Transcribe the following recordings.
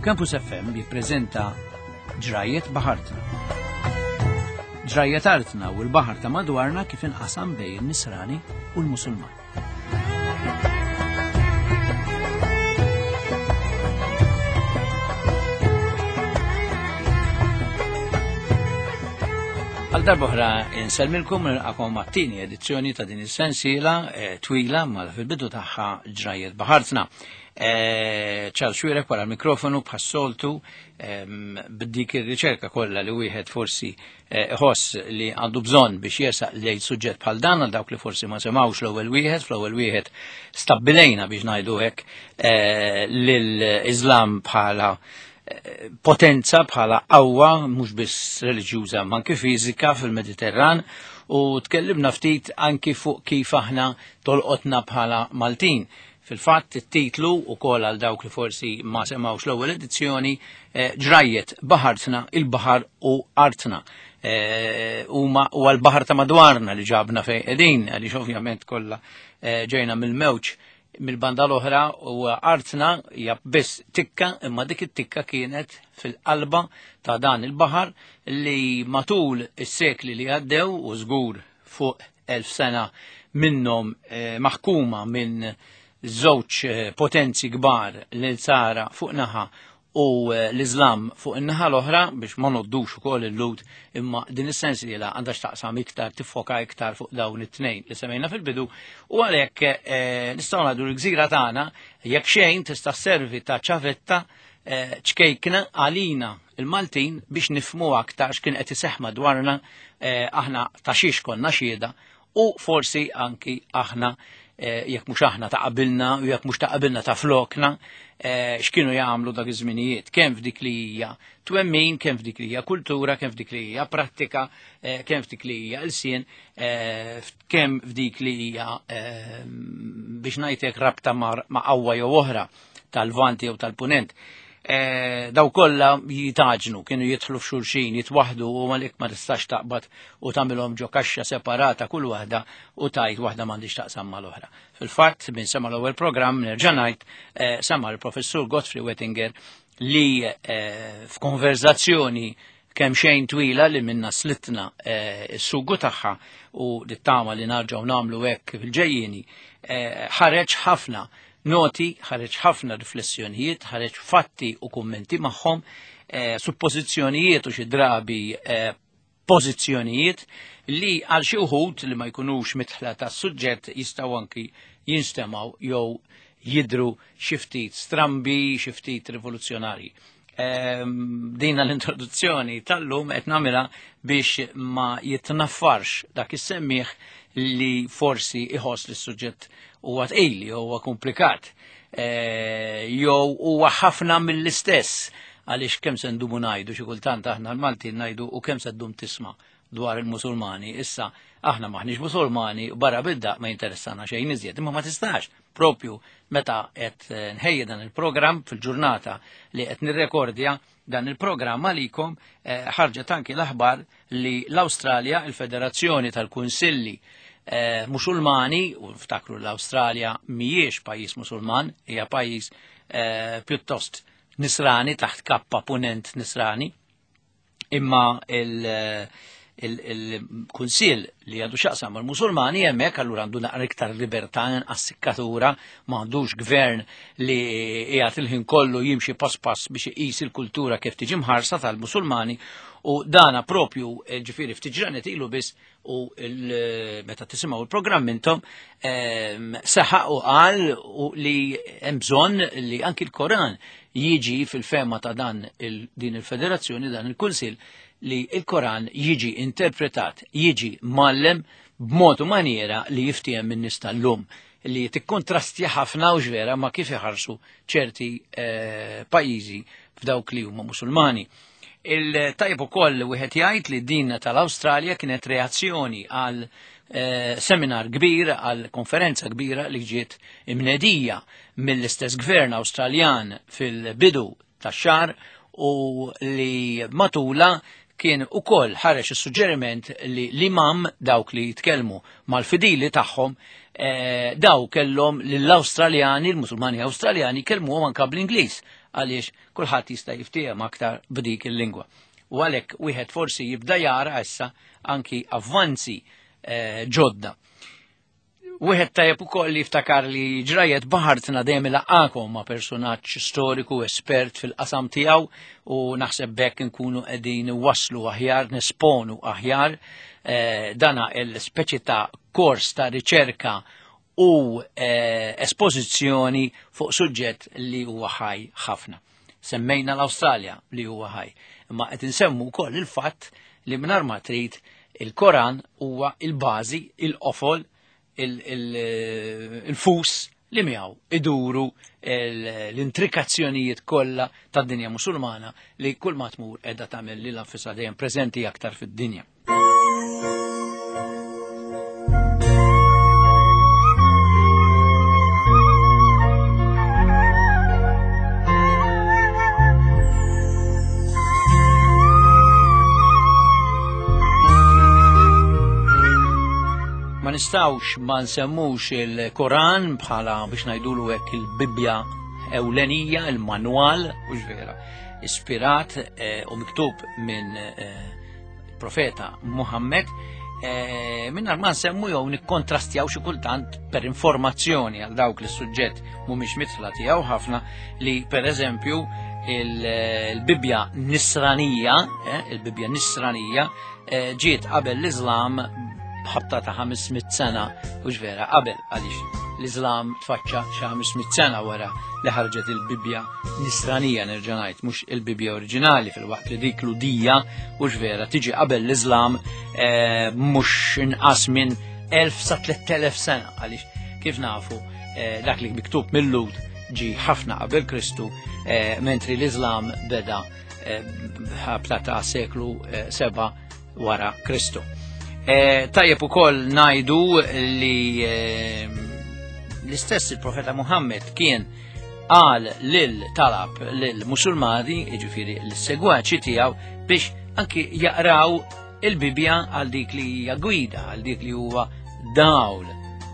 Campus FM jippreżenta Ġrajiet Baħartna. Ġrajiet artna u l-baħar ta' madwarna kif inqasam bejn in-Nisrani u l-Musulman. Għal darbohra insellmilkom nilqakom għat-tieni edizzjoni ta' din is-sensiela eh, twila mal fil-bidu tagħha ġrajiet baħartna. Eh, Charles Xwirek wara l-mikrofonu bħas-soltu ehm, b'dik ir-riċerka kollha li wieħed forsi eh, iħoss li għandu bżonn biex jersaq lejn suġġett bħal dan għal dawk li forsi ma semgħux l-ewwel wieħed, fl-ewwel wieħed stabbilejna biex ngħidu hekk eh, lill-Iżlam bħala potenza bħala qawwa mhux biss reliġjuża ma anke fiżika fil-Mediterran u tkellimna ftit anki fuq kif aħna tolqotna bħala Maltin. Fil-fatt it-titlu ukoll għal dawk li forsi ma semgħux l-ewwel edizzjoni eh, ġrajjet baħartna il-baħar u artna. Eh, huma u għal-baħar ta' madwarna li ġabna fejn qegħdin għaliex ovvjament kollha eh, ġejna mill-mewġ mill-banda l-oħra u artna hija biss tikka imma dik it-tikka kienet fil-qalba ta' dan il-baħar li matul is-sekli li għaddew u żgur fuq 1000 sena minnhom eh, maħkuma minn żewġ eh, potenzi kbar l-Sara fuq naħa u eh, l-Iżlam fuq in-naħa l-oħra biex ma noddux ukoll il-Lut imma din is-sensiela għandha x'taqsam iktar tiffoka iktar fuq dawn it-tnejn li semmejna fil-bidu u għalhekk nistgħu ngħidu l-gżira tagħna jekk xejn tista' sservi ta' ċavetta ċkejkna għalina il-Maltin biex nifmu aktar x'kien qed iseħħ madwarna eh, aħna ta' xiex konna xhieda u forsi anki aħna eh, jekk mhux aħna ta' qabilna u jekk mhux ta' qabilna ta' flokna eh, x'kienu jagħmlu dak iż-żminijiet kemm f'dik li hija twemmin, kemm f'dik li hija kultura, kemm f'dik li hija prattika, kemm f'dik li hija lsien, kemm f'dik li hija biex ngħidlek rabta ma' qawwa jew oħra tal-Lvant jew tal-Punent. Eh, daw kollha jitaġnu, kienu jidħlu f'xulxin, jitwaħdu u għalik ma tistax taqbad u tagħmilhom ġo kaxxa separata kull waħda u tajt waħda m'għandix taqsam mal-oħra. Fil-fatt, minn sema l-ewwel programm nerġa' ngħid eh, sema l-professur Godfrey Wettinger li eh, f'konverzazzjoni kemm xejn twila li minna slitna s-sugu tagħha u li tama li narġgħu nagħmlu hekk fil-ġejjieni ħareġ ħafna noti, ħareġ ħafna riflessjonijiet, ħareġ fatti u kummenti magħhom, eh, suppożizzjonijiet u xi drabi eh, pożizzjonijiet li għal xi wħud li ma jkunux mitħla tas-suġġett jistgħu anki jinstemaw jew jidru xi ftit strambi, xi ftit rivoluzzjonarji. Ehm, dina l-introduzzjoni tal-lum qed nagħmilha biex ma jitnaffarx dak is-semmieħ li forsi iħoss li s-suġġett huwa tqil jew huwa komplikat eh, jew huwa ħafna mill-istess għaliex kemm se ndumu ngħidu xi kultant aħna l-Maltin ngħidu u kemm se ddum tisma' dwar il-Musulmani. Issa aħna maħniex Musulmani barra bidda ma jinteressana xejn iżjed, imma ma tistax propju meta qed eh, nħejji dan il-programm fil-ġurnata li qed nirrekordja dan il-programm għalikom eh, ħarġet anki l-aħbar li l-Awstralja, il-Federazzjoni tal-Kunsilli eh, Musulmani, u ftakru l-Awstralja mhijiex pajjiż Musulman, hija pajjiż pjuttost nisrani taħt kappa punent nisrani, Imma il-kunsil li għandu xaqsam mal-Musulmani hemmhekk allura għandu naqra iktar libertà inqas sikkatura, ma għandux gvern li qiegħed il-ħin kollu jimxi pass pass biex iqis il-kultura kif tiġi mħarsa tal-Musulmani u dana propju eh, ġifieri ftit ġranet ilu biss u meta tisimgħu il-programm intom ehm, saħaq u qal li hemm bżonn li anki l-Koran jiġi fil-fema ta' dan din il-federazzjoni, dan il-kunsil, li il-Koran jiġi interpretat, jiġi mallem b'mod u maniera li jiftiem minn nies tal-lum li tikkontrasti ħafna u ġvera ma kif iħarsu ċerti eh, pajjiżi f'dawk li huma Musulmani. Il-tajb ukoll wieħed jgħid li din tal-Awstralja kienet reazzjoni għal eh, seminar kbir, għal konferenza kbira li ġiet imnedija mill-istess gvern Awstraljan fil-bidu tax-xahar u li matula kien ukoll ħareġ is-suġġeriment li l-imam dawk li jitkellmu mal-fidili tagħhom eh, daw kellhom lill-Awstraljani, l-Musulmani Awstraljani kellmuhom anke bl-Ingliż għaliex kulħadd jista' jiftiehem aktar b'dik il-lingwa. U għalhekk wieħed forsi jibda jara issa anki avvanzi eh, ġodda. Wieħed tajjeb ukoll li jiftakar li ġrajet baħartna dejjem ilaqgħakom ma' personaġġ storiku espert fil-qasam tiegħu u naħseb bekk nkunu qegħdin waslu aħjar, nesponu aħjar eh, dana il-speċi ta' kors ta' riċerka u eh, espożizzjoni fuq suġġett li huwa ħaj ħafna. Semmejna l-Awstralja li huwa ħaj, imma qed insemmu wkoll il-fatt li mingħajr ma trid il-Koran huwa il-bażi, il-qofol, il-fus li miegħu iduru l-intrikazzjonijiet kollha tad-dinja Musulmana li kull ma tmur qiegħda tagħmel lilha nfisha dejjem preżenti aktar fid-dinja. Ma nistawx ma nsemmux il-Koran bħala biex ngħidulu hekk il-Bibbja ewlenija, il-manwal, u vera, ispirat eh, u miktub minn eh, profeta Muhammad, eh, minnar ma nsemmu jew nikkontrastjaw xi kultant per informazzjoni għal dawk li suġġett mhumiex mitla tiegħu ħafna li per eżempju il-Bibbja Nisranija, eh, il-Bibbja Nisranija eh, ġiet qabel l-Iżlam b'ħabta ta' 500 sena u vera qabel għaliex l-Iżlam tfaċċa xi 500 sena wara li ħarġet il-Bibbja Nisranija nerġa' ngħid mhux il-Bibbja oriġinali fil-waqt li dik l-udija u vera tiġi qabel l-Iżlam eh, mhux inqas minn 1000 sa 3000 sena għaliex kif nafu eh, dak li miktub mill-Lud ġi ħafna qabel Kristu eh, mentri l-Iżlam beda ħabta ta' seklu 7 wara Kristu. Tajjeb ukoll ngħidu li l-istess il-profeta Muhammad kien qal lil talab lil musulmani, jiġifieri l-segwaċi tiegħu biex anki jaqraw il-Bibja għal dik li hija gwida, għal dik li huwa dawl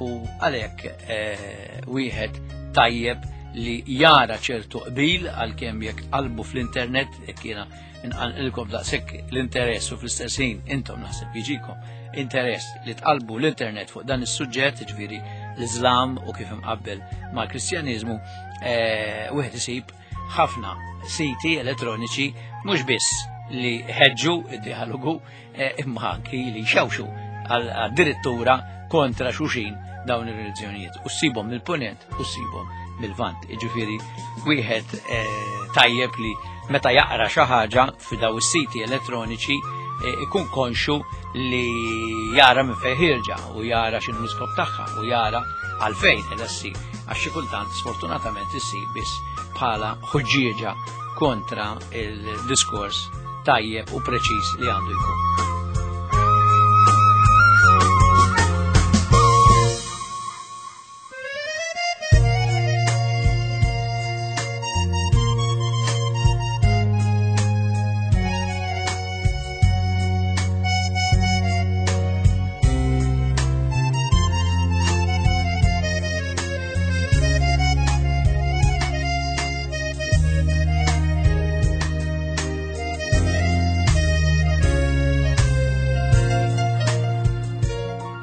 u għalhekk eh, wieħed tajjeb li jara ċertu qbil għalkemm jekk qalbu fl-internet jekk jiena inqanqilkom daqshekk l-interess u fl-istess ħin intom naħseb jiġikom interess li tqalbu l-internet fuq dan is-suġġett, ġifieri l-Iżlam u kif imqabbel mal-Kristjaniżmu, eh, wieħed isib ħafna siti elettroniċi mhux biss li ħeġġu id-dialogu eh, imma anki li xewxu għad-dirittura kontra xuxin dawn ir-reliġjonijiet u ssibhom mill-punent u ssibhom mill-vant. Jiġifieri wieħed eh, tajjeb li meta jaqra xi ħaġa fi daw is-siti elettroniċi eh, ikun konxu li jara minn fejn ħirġa u jara x'inhu l-iskop tagħha u jara għalfejn qiegħda ssir għax xi kultant sfortunatament issir biss bħala ħuġġieġa kontra il-diskors tajjeb u preċiż li għandu jkun.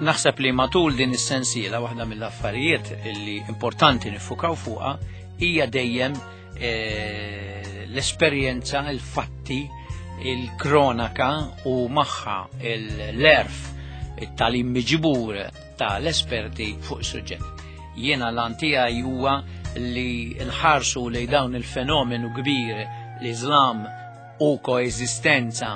Naħseb li matul din is-sensiela waħda mill-affarijiet li importanti nifukaw fuqha hija dejjem eh, l-esperjenza, il-fatti, il-kronaka u magħha l-erf, it-talim miġbur ta' l-esperti fuq is-suġġett. Jiena l tiegħi huwa li nħarsu lej dawn il-fenomenu kbir l-Iżlam u koeżistenza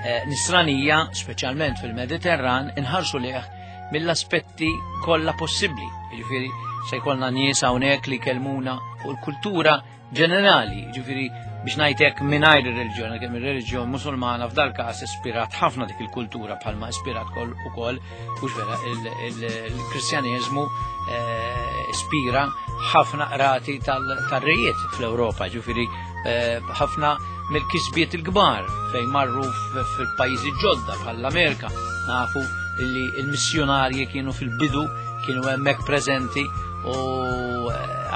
eh, nisranija, speċjalment fil-Mediterran, inħarsu liħ mill-aspetti kollha possibbli. Jiġifieri se jkollna nies hawnhekk li kelmuna fuq il-kultura ġenerali, ġifiri biex ngħidlek mingħajr ir-reliġjon, kemm ir-reliġjon Musulmana f'dal każ ispirat ħafna dik il-kultura bħalma ispirat kol ukoll hux vera il-Kristjaneżmu eh, ispira ħafna qrati tal-rejiet fl-Ewropa, ġifiri ħafna mill-kisbiet il-kbar fejn marru fil-pajjiżi ġodda bħall-Amerika. Nafu li l-missjonarji kienu fil-bidu, kienu hemmhekk preżenti u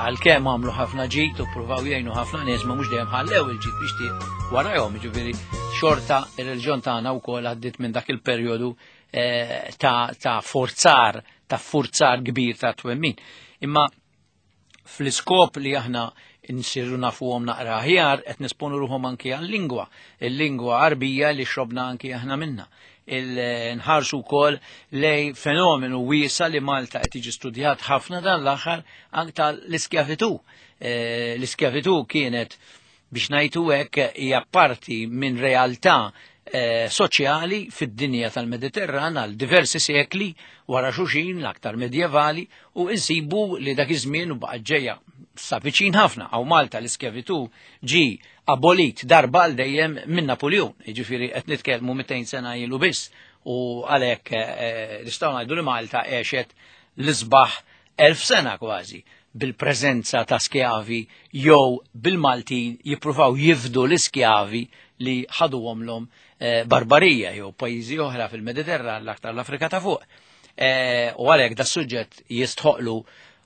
għalkemm għamlu ħafna ġid u pruvaw jgħinu ħafna nies ma mhux dejjem ħallew il-ġid biex warajhom, jiġifieri xorta ir-reliġjon tagħna wkoll għaddiet minn dak il-perjodu ta' forzar, ta' forzar kbir ta' twemmin. Imma fl-iskop li aħna nsiru nafuhom naqra aħjar qed nisponu ruħhom anki għal-lingwa, il-lingwa Għarbija li xrobna anki aħna minna. Nħarsu wkoll lej fenomenu wiesa li Malta qed jiġi studjat ħafna dan l-aħħar anke tal-iskjavitu. L-iskjavitu kienet biex ngħidu hekk hija parti minn realtà soċjali fid-dinja tal-Mediterran għal diversi sekli wara xulxin l-aktar medjevali u insibu li dak iż-żmien u baqgħet ġejja sa viċin ħafna għaw Malta l-iskjavitu ġi abolit darba għal dejjem minn Napoleon, jiġifieri qed nitkellmu 200 sena ilu biss u għalhekk nistgħu ngħidu li Malta għexet l-isbaħ 1000 sena kważi bil-preżenza ta' skjavi jew bil-Maltin jippruvaw jifdu l-iskjavi li ħaduhomlhom barbarija jew pajjiżi oħra fil-Mediterran l-aktar l-Afrika ta' fuq. U għalhekk da suġġett jistħoqlu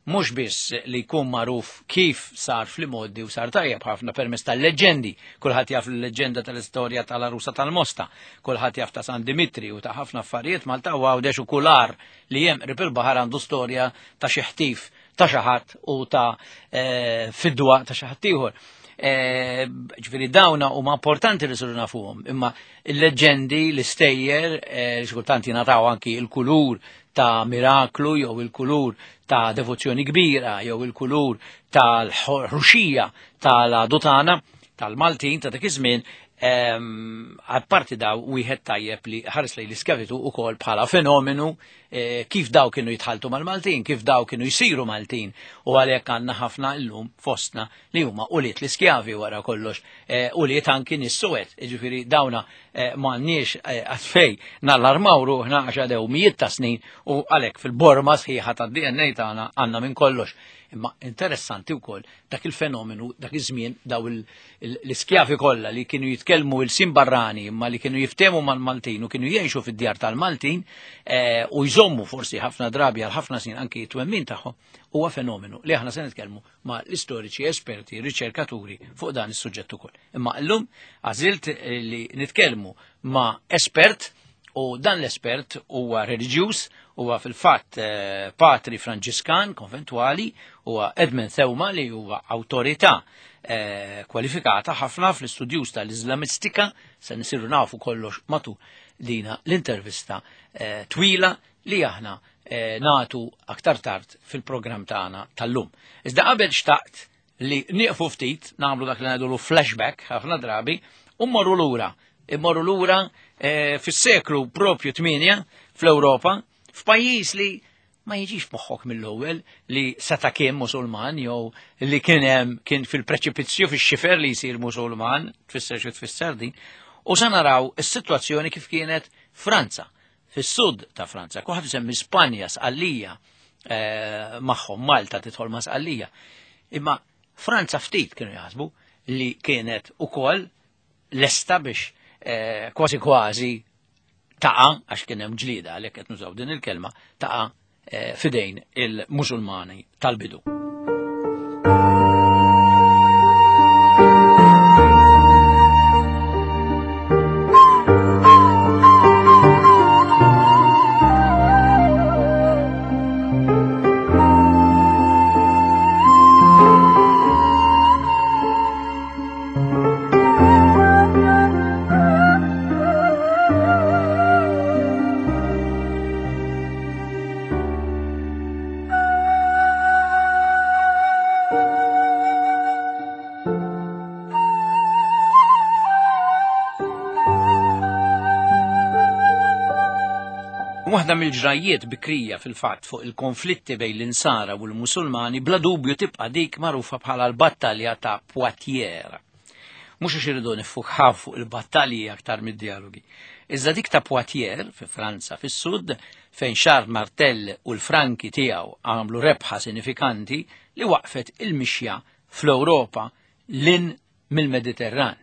mhux biss li jkun magħruf kif sar fl-imgħoddi u sar tajjeb ħafna permezz tal-leġendi. Kulħadd jaf l-leġenda tal-istorja tal-Arusa tal-Mosta, kulħadd jaf ta' San Dimitri u ta' ħafna affarijiet Malta u Għawdex u kular li hemm qrib il-baħar għandu storja ta' xi ħtif ta' xi ħadd u ta' fidwa ta' xi ħadd ieħor. Ġifieri dawna huma importanti li siru nafuhom, imma il-leġendi, l-istejjer, li xi kultant jingħataw anki il-kulur ta' miraklu jew il-kulur ta' devozzjoni kbira jew il-kulur tal-ħruxija tal-adutana tal-Maltin ta' dak iż-żmien, apparti daw wieħed tajjeb li ħares lejn l-iskjavitu ukoll bħala fenomenu kif daw kienu jitħaltu mal-Maltin, kif daw kienu jsiru Maltin, u għalhekk għandna ħafna llum fostna li huma ulied l-iskjavi wara kollox, ulied anki nies suwed, jiġifieri dawna m'għandniex għatfej nallarmaw ruħna għax għadew mijiet ta' snin u għalhekk fil-borma sħiħa tad-DNA tagħna għandna minn kollox. Imma interessanti wkoll dak il-fenomenu, dak iż-żmien daw l-iskjavi kollha li kienu jitkellmu il-sin barrani imma li kienu jiftehmu mal-Maltin u kienu jgħixu fid-djar tal-Maltin u jżommu forsi ħafna drabi għal ħafna snin anki t-twemmin tagħhom, huwa fenomenu li aħna se nitkellmu ma' l-istoriċi, esperti, riċerkaturi fuq dan is-suġġett ukoll. Imma llum għażilt li nitkellmu ma' espert u dan l-espert huwa reliġjuż, huwa fil-fatt patri Franġiskan konventwali, huwa Edmund Theuma li huwa awtorità kwalifikata ħafna fl-istudjus tal-Islamistika, se nisiru nafu kollox matul dina l-intervista twila li aħna natu aktar tard fil-programm tagħna tal-lum. Iżda qabel xtaqt li nieqfu ftit, nagħmlu dak li ngħidulu flashback ħafna drabi, u mmorru lura. Immorru lura fis-seklu propju 8 fl-Ewropa, f'pajjiż li ma jiġix moħħok mill-ewwel li seta' kien Musulman jew li kien hemm kien fil-preċipizzju fix-xifer li jsir Musulman, tfisser xi tfisser din, u sa naraw is-sitwazzjoni kif kienet Franza, fis-sud ta' Franza. Kulħadd isemmi Spanja, Sqallija, magħhom Malta tidħol ma' Sqallija. Imma Franza ftit kienu jaħsbu li kienet ukoll lesta biex kważi kważi taqa', għax kien hemm ġlieda għalhekk qed nużaw din il-kelma, taqa' fidejn il-Musulmani tal-bidu. Waħda mill-ġrajjiet bikrija fil-fatt fuq il-konflitti bejn l-Insara u l-Musulmani bla dubju tibqa' dik magħrufa bħala l-battalja ta' Poitiers. Mhux għax irridu niffukaw fuq il-battalji aktar mid-dialogi. Iżda dik ta' Poitiers fi Franza fis-sud fejn Charles Martel u l-Franki tiegħu għamlu rebħa sinifikanti li waqfet il-mixja fl-Ewropa lin mill-Mediterran.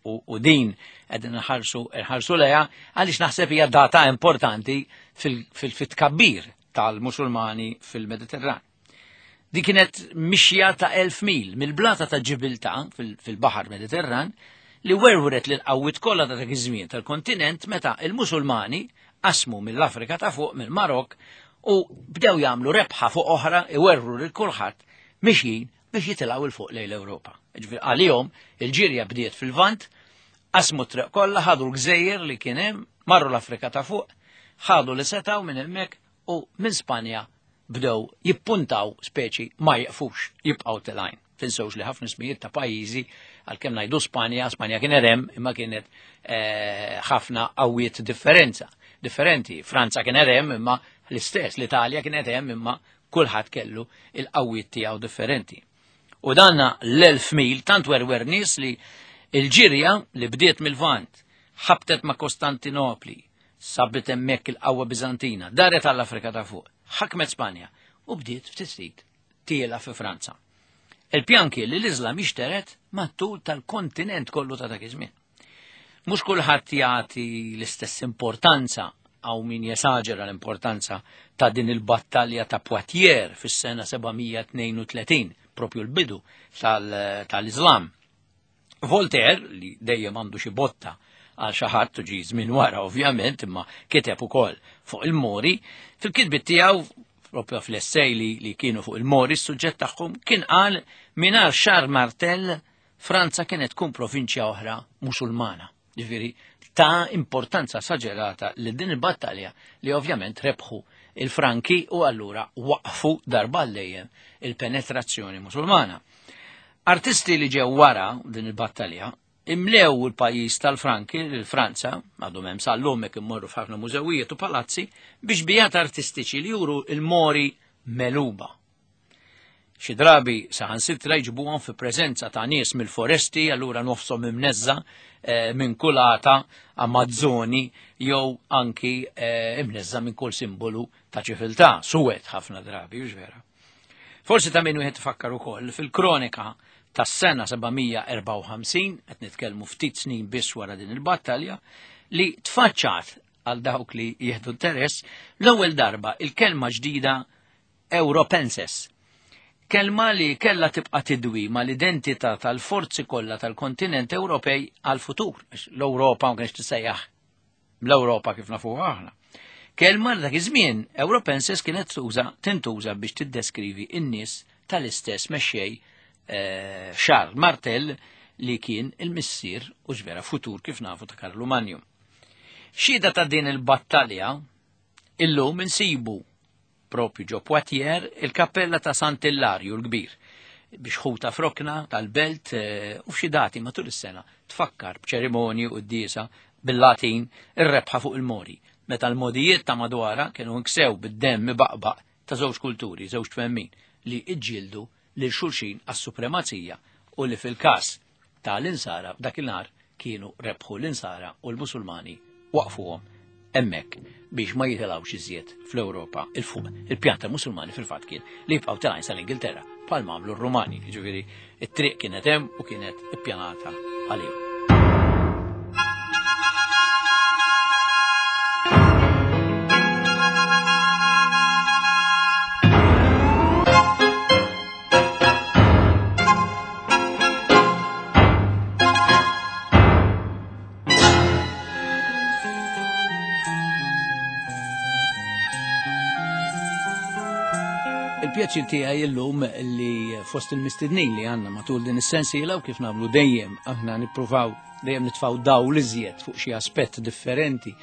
U, u din qegħdin nħarsu nħarsu leha għaliex naħseb hija data importanti fil-tkabbir tal-Musulmani fil-Mediterran. Di kienet mixja ta' 1000 mil mill-blata ta' Ġibilta fil-Baħar Mediterran li werwret lil qawwiet kollha ta' dak iż-żmien tal-kontinent meta il-Musulmani qasmu mill-Afrika ta' fuq mill-Marok u bdew jagħmlu rebħa fuq oħra iwerwru lil kulħadd mixjin biex jitilgħu 'l fuq lejn l-Ewropa. Ġifieri għalihom il-ġirja bdiet fil-Lvant, qasmu t-triq kollha, ħadu l-gżejjer li kien hemm, marru l-Afrika ta' fuq, ħadu li setgħu minn hemmhekk u minn Spanja bdew jippuntaw speċi ma jiqfux, jibqgħu telgħin. Tinsewx li ħafna ismijiet ta' pajjiżi għalkemm ngħidu Spanja, Spanja kien hemm imma kienet eh, ħafna qawwiet differenza. Differenti. Franza kien hemm imma l-istess, l-Italja kienet hemm imma kulħadd kellu il-qawwiet tiegħu differenti. U danna l-elf mil tant werwer nies li il-ġirja li bdiet mill-Vant ħabtet ma' Kostantinopli, sabit hemmhekk il-qawwa Biżantina, daret għall-Afrika ta' fuq, ħakmet Spanja u bdiet ftit ftit tiela fi Franza. Il-pjan kien li l-Iżlam jixteret mat-tul tal-kontinent kollu ta' dak iż-żmien. Mhux kulħadd jagħti l-istess importanza għaw min jesaġera l-importanza ta' din il-battalja ta' Poitiers fis-sena 732, propju l-bidu tal-Iżlam. Voltaire, li dejjem għandu xi botta għal xi ħadd u ġi żmien wara ovvjament, imma kiteb ukoll fuq il-Mori, fil-kitbiet tiegħu propju fl-essej li, li kienu fuq il-Mori, s-suġġett tagħhom kien qal mingħajr Charles Martel Franza kienet tkun provinċja oħra Musulmana. Ġifieri ta' importanza esaġerata li din il-battalja li ovvjament rebħu il-Franki u allura waqfu darba dejjem il-penetrazzjoni Musulmana. Artisti li ġew wara din il-battalja imlew il-pajjiż tal-Franki, l-Franza, għadhom hemm sal-lum jekk immorru f'ħafna mużewijiet u palazzi, biex bijat artistiċi li juru il-mori meluba. Xi drabi saħansitra jġibuhom fi preżenza ta' nies mill-foresti, allura nofshom imneżża eh, minn kulata Amazzoni jew anki eh, imneżża minn kull simbolu ta' ċiviltà, suwed ħafna drabi, hux vera. Forsi ta' min wieħed ifakkar ukoll fil-kronika tas-sena 754, qed nitkellmu ftit snin biss wara din il-battalja, li tfaċċat għal dawk li jieħdu interess l-ewwel darba il-kelma ġdida Europenses. Kelma li kellha tibqa' tidwi mal-identità tal-forzi kollha tal-kontinent Ewropej għal-futur. L-Ewropa ma kienx tissejjaħ l-Ewropa kif nafuha aħna. Kelma li dak iż-żmien Europenses kienet tuża tintuża biex tiddeskrivi n-nies tal-istess mexxej eh, Charles Martel li kien il-missier u ġvera futur kif nafu ta' Karlu Manju. Xhieda ta' din il-battalja illum insibu propju ġo Poitiers il-kappella ta' Sant'Illarju l-Kbir biex ħuta frokna tal-belt eh, u f'xi dati matul is-sena tfakkar b'ċerimonji u d-diesa bil-Latin ir-rebħa fuq il-Mori, meta l-modijiet ta' madwara kienu nksew bid-demm ibaqbaq ta' żewġ kulturi, żewġ twemmin li iġġieldu lil xulxin għas-supremazija u li fil-każ ta' l-insara f'dakinhar kienu rebħu l-insara u l-Musulmani waqfuhom hemmhekk biex ma jitilgħux iżjed fl-Ewropa 'il fuq. Il-pjan tal-Musulmani fil-fatt kien li jibqgħu telgħin sal-Ingilterra bħalma għamlu r-Rumani, jiġifieri t-triq kienet hemm u kienet ippjanata għalihom. Il-pjaċir tiegħi illum li fost il-mistednin li għandna matul din is-sensiela u kif nagħmlu dejjem aħna nippruvaw dejjem nitfgħu dawl iżjed fuq xi aspett differenti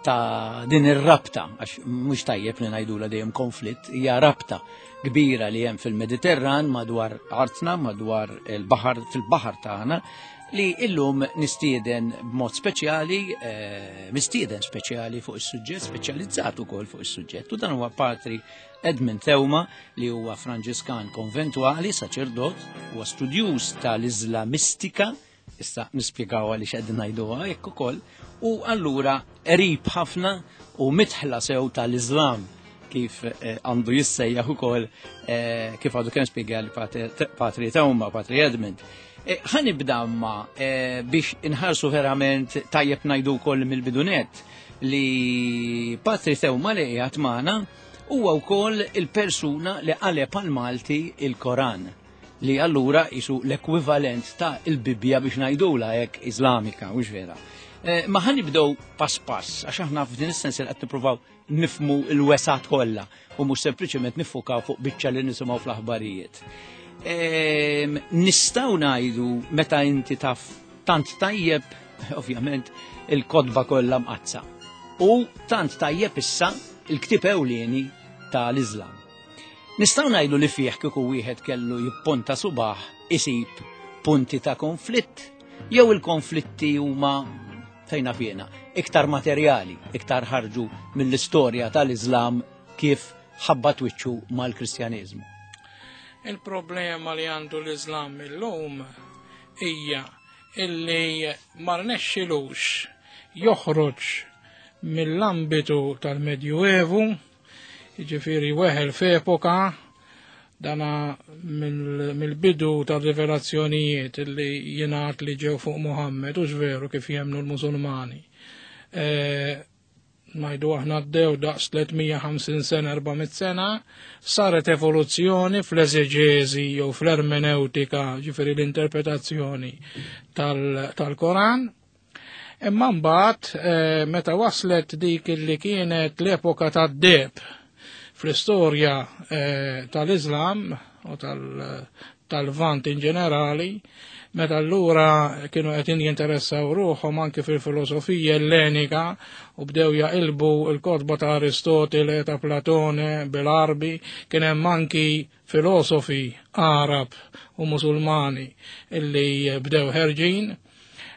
ta' din ir-rabta, għax mhux tajjeb li ngħidula dejjem konflitt, hija rabta kbira li hemm fil-Mediterran madwar artna, madwar il-baħar, fil-baħar tagħna, li illum nistieden b'mod speċjali, eh, mistieden speċjali fuq is-suġġett, speċjalizzat ukoll fuq is-suġġett. U dan huwa Patri Edmund Theuma li huwa Franġiskan konventwali, saċerdot, huwa studjuż tal-Iżlamistika, issa nispjegaw għaliex qegħdin ngħiduha hekk ukoll, u allura qrib ħafna u mitħla sew tal-Iżlam kif eh, għandu jissejjaħ ukoll eh, kif għadu kemm spjega li Patri Theuma, Patri Edmund. Eh, ħa nibda ma eh, biex inħarsu verament tajjeb ngħidu wkoll mill-bidunet li Patri Thewma li qiegħed magħna huwa wkoll il-persuna li qaleb għal Malti il-Koran li allura jisu l-ekwivalent ta' il-Bibbja biex ngħidula hekk Iżlamika, mhux vera. Eh, ma ħa nibdew pass pass, għax aħna f'din is-sens li qed nippruvaw nifmu l-wesat kollha u mhux sempliċement niffukaw fuq biċċa li nisimgħu fl-aħbarijiet. Ehm, nistgħu ngħidu meta inti taf tant tajjeb, ovvjament, il-kodba kollha mqazza. U tant tajjeb issa il-ktieb ewlieni tal-Iżlam. Nistgħu ngħidu li fih kieku wieħed kellu jipponta subaħ isib punti ta' konflitt jew il-konflitti huma fejn naf jiena, iktar materjali, iktar ħarġu mill-istorja tal-Iżlam kif ħabbat wiċċu mal-Kristjaneżmu. Il-problema li għandu l-Iżlam illum hija illi ma rnexxilux joħroġ mill-ambitu tal-Medjuevu Jiġifieri weħel f'epoka dana mill-bidu tar-rivelazzjonijiet li jingħad li ġew fuq Muhammad u veru kif jemnu l-Musulmani. E, ngħidu aħna għaddew daqs 350 sena, 400 sena, saret evoluzzjoni fl-eżeġeżi jew fl-ermeneutika, ġifieri l-interpretazzjoni tal-Koran. Imma mbagħad eh, meta waslet dik li kienet l-epoka tad-deb fl-istorja eh, tal-Islam u tal-Vant in ġenerali, meta allura kienu qed jinteressaw ruħhom anke fil-filosofija ellenika u bdew jaqilbu l-kotba ta' Aristotele, ta' Platone, bil-Arbi, kien hemm anki filosofi Arab u Musulmani illi bdew ħerġin.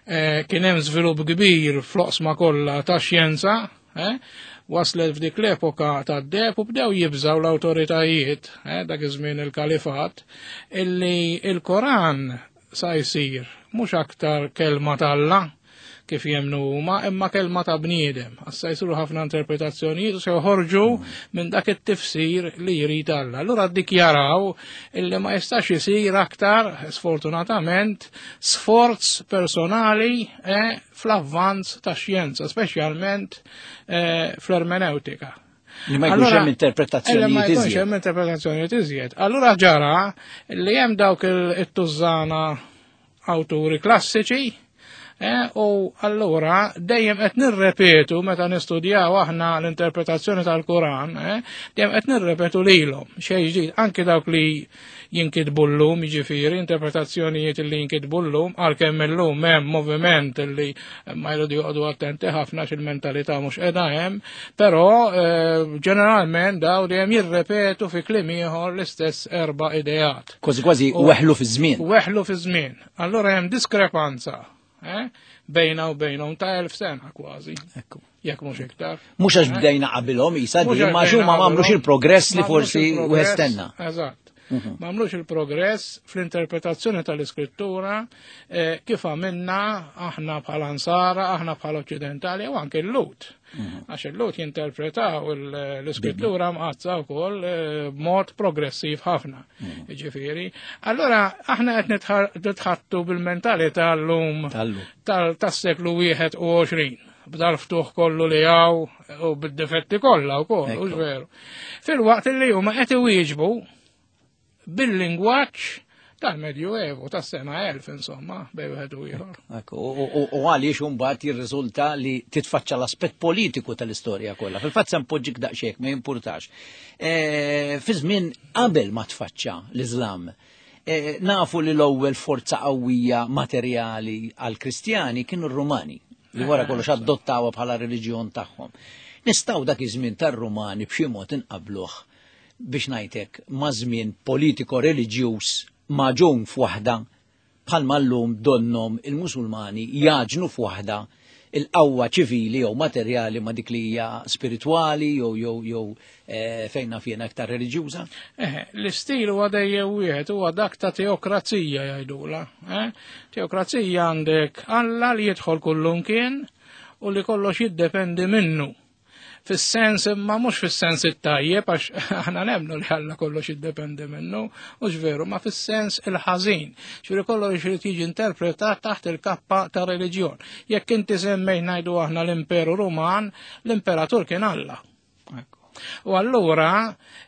Eh, kien hemm żvilupp kbir fl-oqsma kollha ta' xjenza, eh, waslet f'dik l-epoka ta' deb u bdew jibżaw l-awtoritajiet, eh, dak iż-żmien il-kalifat, illi il-Koran sa jsir mhux aktar kelma t'Alla kif jemnu huma, imma kelma ta' bniedem. Issa jsiru ħafna interpretazzjonijiet u se joħorġu minn dak it-tifsir li jrid Alla. Allura ddikjaraw illi ma jistax isir aktar, sfortunatament, sforz personali eh, fl-avvanz ta' xjenza, speċjalment eh, fl-ermeneutika. Li ma jkunx hemm interpretazzjonijiet Ma jkunx hemm interpretazzjonijiet iżjed. Allura ġara li hemm dawk it-tużżana awturi klassiċi Eh, u allura dejjem qed nirrepetu meta nistudjaw aħna l-interpretazzjoni tal-Kuran, eh, dejjem qed nirrepetu lilhom xejn ġdid anke dawk li jinkitbu llum, jiġifieri interpretazzjonijiet li jinkitbu llum, għalkemm illum hemm moviment li ma jridu joqogħdu attenti ħafna x'il-mentalità mhux qiegħda hemm, però eh, ġeneralment daw dejjem jirrepetu fi kliem ieħor l-istess erba' ideat. Kważi kważi weħlu fi żmien. Weħlu fi żmien. Allura hemm diskrepanza eh, bejna u bejnhom ta' elf sena kważi. Ekku. Jekk mhux iktar. Mhux għax eh? bdejna qabilhom isa di ma huma m'għamlux il-progress li forsi wieħed stenna. Eżatt. Mhm. M'għamlux il-progress fl-interpretazzjoni tal-iskrittura eh, kif għamilna aħna bħala Ansara, aħna bħala Oċċidentali u anke l-Lut. Mhm. Għax il-Lut jinterpretaw l-iskrittura mqazza wkoll eh, b'mod progressiv ħafna. Mhm. Ġifieri. Allora aħna qed nitħattu bil-mentalità llum tas-seklu 21 b'dal-ftuħ kollu li għaw u bid-difetti kollha wkoll, u veru. Fil-waqt li huma qed iwieġbu bil-lingwaġġ tal-Medjuevu, tas-sena 1000 insomma, bej wieħed u ieħor. U għaliex imbagħad jirriżulta li titfaċċa l-aspett politiku tal-istorja kollha. Fil-fatt se npoġġik daqsxejn ma jimpurtax. E, fi żmien qabel ma tfaċċa l-Iżlam, e, nafu li l-ewwel forza qawwija materjali għall-Kristjani kienu r-Rumani li wara kollox adottawha bħala reliġjon tagħhom. Nistgħu dak iż-żmien tar-Rumani b'xi mod inqabluh biex ngħidlek ma' żmien politiko reliġjuż magħġun f'waħda bħalma llum donnhom il-Musulmani jagħġnu f'waħda il-qawwa ċivili jew materjali ma' dik li hija spiritwali jew jew jew eh, fejn naf jiena aktar reliġjuża? Eh, l-istil huwa dejjem wieħed huwa dak ta' teokrazija jgħidula. Eh? Teokrazija għandek Alla li jidħol kullumkien u li kollox jiddependi minnu. Fis-sens imma mhux fis-sens it-tajjeb għax aħna nemmnu li Alla kollox jiddependi minnu, mhux veru, ma fis-sens il-ħażin. Ġifieri kollox irid jiġi interpretat taħt il-kappa ta' reliġjon. Jekk inti semmejt ngħidu aħna l-Imperu Ruman, l-imperatur kien Alla. U allura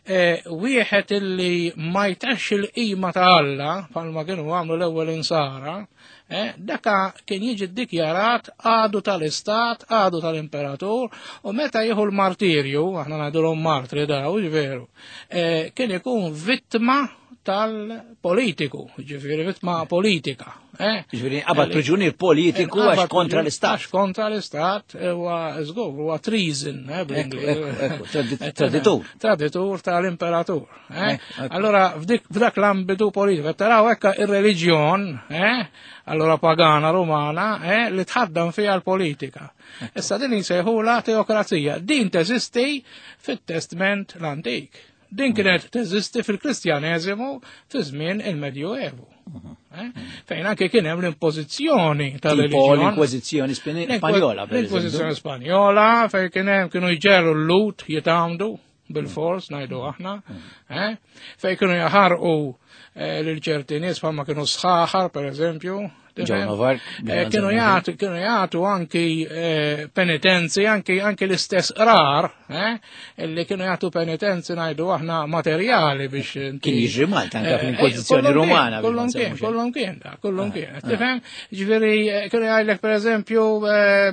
eh, wieħed illi ma jtax il-qima ta' Alla, bħalma kienu għamlu l-ewwel insara, eh, daka kien jiġi ddikjarat għadu tal-istat, għadu tal-imperatur, u meta jieħu l-martirju, aħna ngħidulhom martri daw, veru, eh, kien ikun vittma tal-politiku, ġifieri vittma politika. Eh? Ġifieri qabad priġunier politiku għax kontra l-istat. Għax kontra l-istat huwa żgur, huwa treason, eh, Traditur. Traditur tal-imperatur. Eh? Allora f'dak l-ambitu politiku, taraw hekk ir-reliġjon, allora pagana romana, li tħaddam fiha l-politika. Issa din jsejħula teokrazija. Din teżisti fit-Testment l-Antik. Din kienet teżisti fil-Kristjaneżimu fi żmien il-Medjuevu. Eh? Fejn anke kien hemm l-impożizzjoni tal-reliġjon. L-Inkwiżizzjoni Spanjola. L-Inkwiżizzjoni Spanjola fejn kien hemm kienu jġerru l-lut jitgħamdu bil-fors ngħidu aħna, eh? fejn kienu jaħarqu eh, lil ċerti nies bħalma kienu sħaħar pereżempju. Eh, kienu jagħtu kienu jagħtu anki eh, penitenzi, anki anki l-istess rar, eh, illi kienu jagħtu penitenzi ngħidu aħna materjali biex Kien jiġri Malta anke fl-Inkwiżizzjoni Rumana. Kollhom kien, kollhom kien, kollhom ah, kien. Ah. Tifhem? Ġifieri kienu jgħidlek pereżempju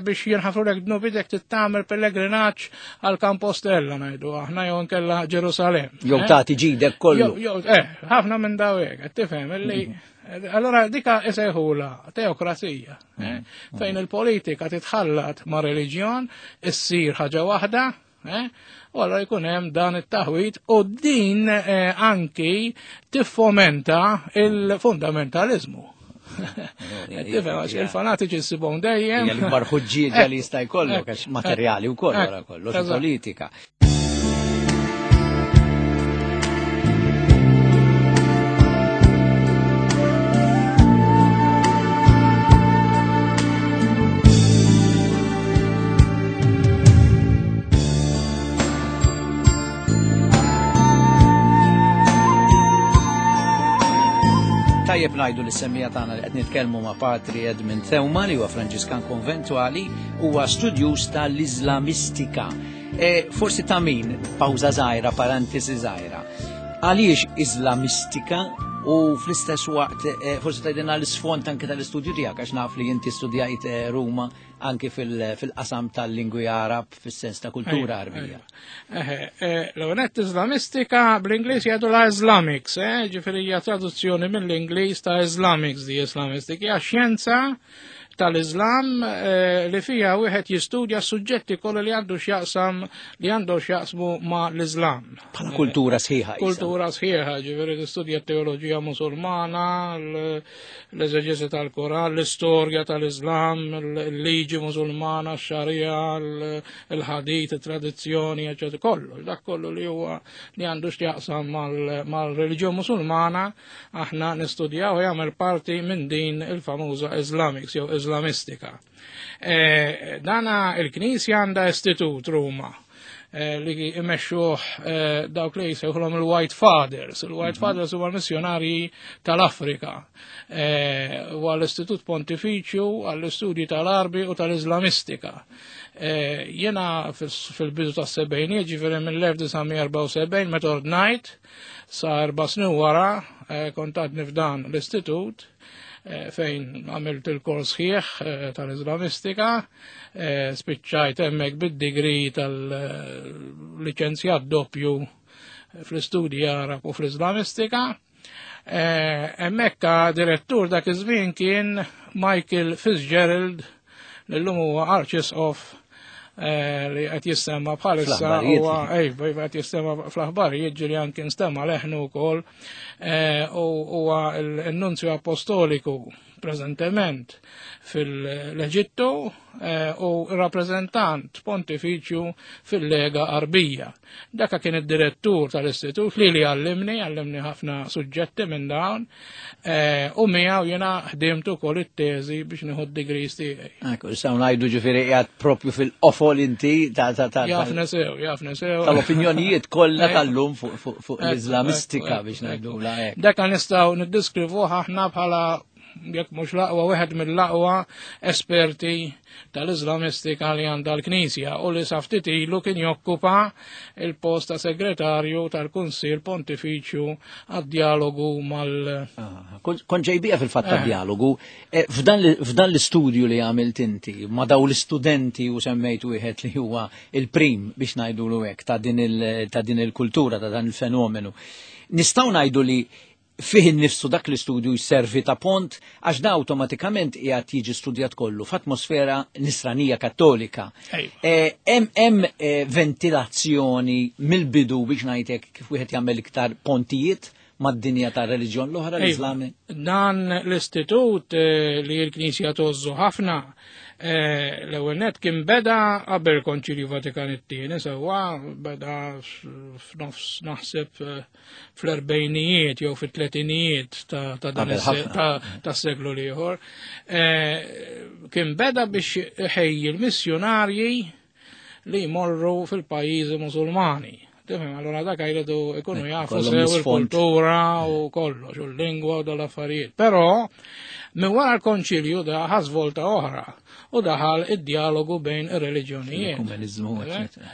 biex jinħafrulek dnubidek tittamel pellegrinaġġ għal Kampostella ngħidu aħna jew nkella Ġerusalem. Jew tagħti ġidek kollu. Jew ħafna minn daw hekk, tifhem illi mm. Allora dika isejħula teokrazija, eh? mm. fejn il-politika titħallat ma' reliġjon, issir ħaġa waħda, eh? u allora jkun hemm dan it-taħwit u din eh, anki tiffomenta il-fundamentalizmu. Tifhem għax il-fanatiċi ssibhom dejjem. Hija l-ikbar ħuġġieġa li jista' jkollok għax materjali wkoll wara kollox politika. Tajjeb ngħidu li semmija tagħna li qed nitkellmu ma' Patri Edmund Theuma li huwa Franġiskan konventwali huwa studjuż tal-Iżlamistika. E, forsi ta' min, pawża żgħira, parentesi żgħira. Għaliex Iżlamistika u fl-istess waqt e, forsi tgħidilna l-isfond anke tal-istudju tiegħek għax naf li inti studjajt e, Ruma anke fil-qasam tal-lingwi Arab fis-sens ta' kultura Arbija. L-għonet Islamistika bl-Ingliż jgħidu la Islamics, ġifieri hija traduzzjoni mill-Ingliż ta' Islamics di Islamistika, hija xjenza tal-Islam eh, li fija wieħed jistudja suġġetti kollha li għandu x'jaqsam li għandu x'jaqsmu ma' l-Islam. Bħala kultura sħiħa. Kultura sħiħa, ġifieri tistudja teoloġija musulmana, l-eżeġesi tal-Koran, l-istorja tal-Islam, l-liġi musulmana, x-xarija, il-ħadit, il-tradizzjoni, eċetera, kollu, dak kollu li huwa li għandu x'jaqsam mal-reliġjon musulmana aħna nistudjaw jagħmel parti minn din il-famuża Islamics jew Islamistika. E, dana il-Knisja għandha istitut Ruma e, li imexxuh e, dawk li jsejħulhom il-White Fathers. Il-White mhm. Fathers huwa l-missjonarji tal-Afrika. Huwa l-Istitut Pontifiċju għall-istudji tal-Arbi u tal-Islamistika. Jena fil-bidu tas-sebgħinijiet, ġifieri mill-1974 meta ordnajt, Sa 4 snin wara eh, kont għadni f'dan l-istitut eh, fejn għamilt il-kors ħieħ eh, tal-Islamistika, spiċċajt hemmhekk bid-digri tal-liċenzjat doppju fl-istudji Arab u fl-Islamistika. Hemmhekk direttur dak iż-żmien kien Michael Fitzgerald li llum huwa Arċisqof eh, li qed jissemma bħalissa huwa ejva iva, qed jissemma fl-aħbarijiet ġieli anke nstemma leħnu wkoll eh, u huwa l-nunzju apostoliku preżentement fil-Eġittu u rappreżentant pontifiċju fil-Lega Arbija. Daka kien id-direttur tal-istitut li għallimni, għallimni ħafna suġġetti minn dawn, u miegħu jiena ħdimt ukoll it-teżi biex nieħu d-degrees tiegħi. Ekku, nistgħu ngħidu ġifieri qiegħed propju fil-qofol inti ta' ta' ta' Jafna sew, jafna sew. Tal-opinjonijiet kollha tal-lum fuq l-Iżlamistika biex ngħidu la hekk. Daka nistgħu niddiskrivuh aħna bħala jekk mhux l-aqwa wieħed mill-aqwa esperti tal-Iżlamistika li għandha l-Knisja u li sa ftit ilu kien jokkupa il-post ta' segretarju tal-Kunsill Pontifiċju għad-dialogu mal- Kon ġejbija fil-fatt tad-dialogu. F'dan l-istudju li għamilt inti ma' daw l-istudenti u semmejt wieħed li huwa il-prim biex ngħidulu hekk ta' din il-kultura, ta' dan il-fenomenu. Nistgħu ngħidu li fih innifsu dak l-istudju jservi ta' pont għax da awtomatikament qiegħed jiġi studjat kollu f'atmosfera nisranija kattolika. Hemm ventilazzjoni mill-bidu biex ngħidlek kif wieħed jagħmel iktar pontijiet mad-dinja ta' reliġjon l-oħra, l-Islam. Dan l-istitut li l-Knisja tożżu ħafna, l-ewwel net kien beda qabel Konċilju Vatikan it-tieni, sewwa beda f'nofs naħseb fl-erbejnijiet jew fit-tletinijiet ta' dan Qabel ħafna. ta' seklu l-ieħor. Kien beda biex ħejji l-missjonarji li jmorru fil-pajjiżi Musulmani. Tifhem, allora dak jridu ikunu jafu Kollhom sew l-isfond. il-kultura u kollox, u l-lingwa u dal-affarijiet. Però minn wara l-konċilju da ħa svolta oħra u daħal id-dialogu bejn ir-reliġjonijiet. L-ekumenizmu, eccetera.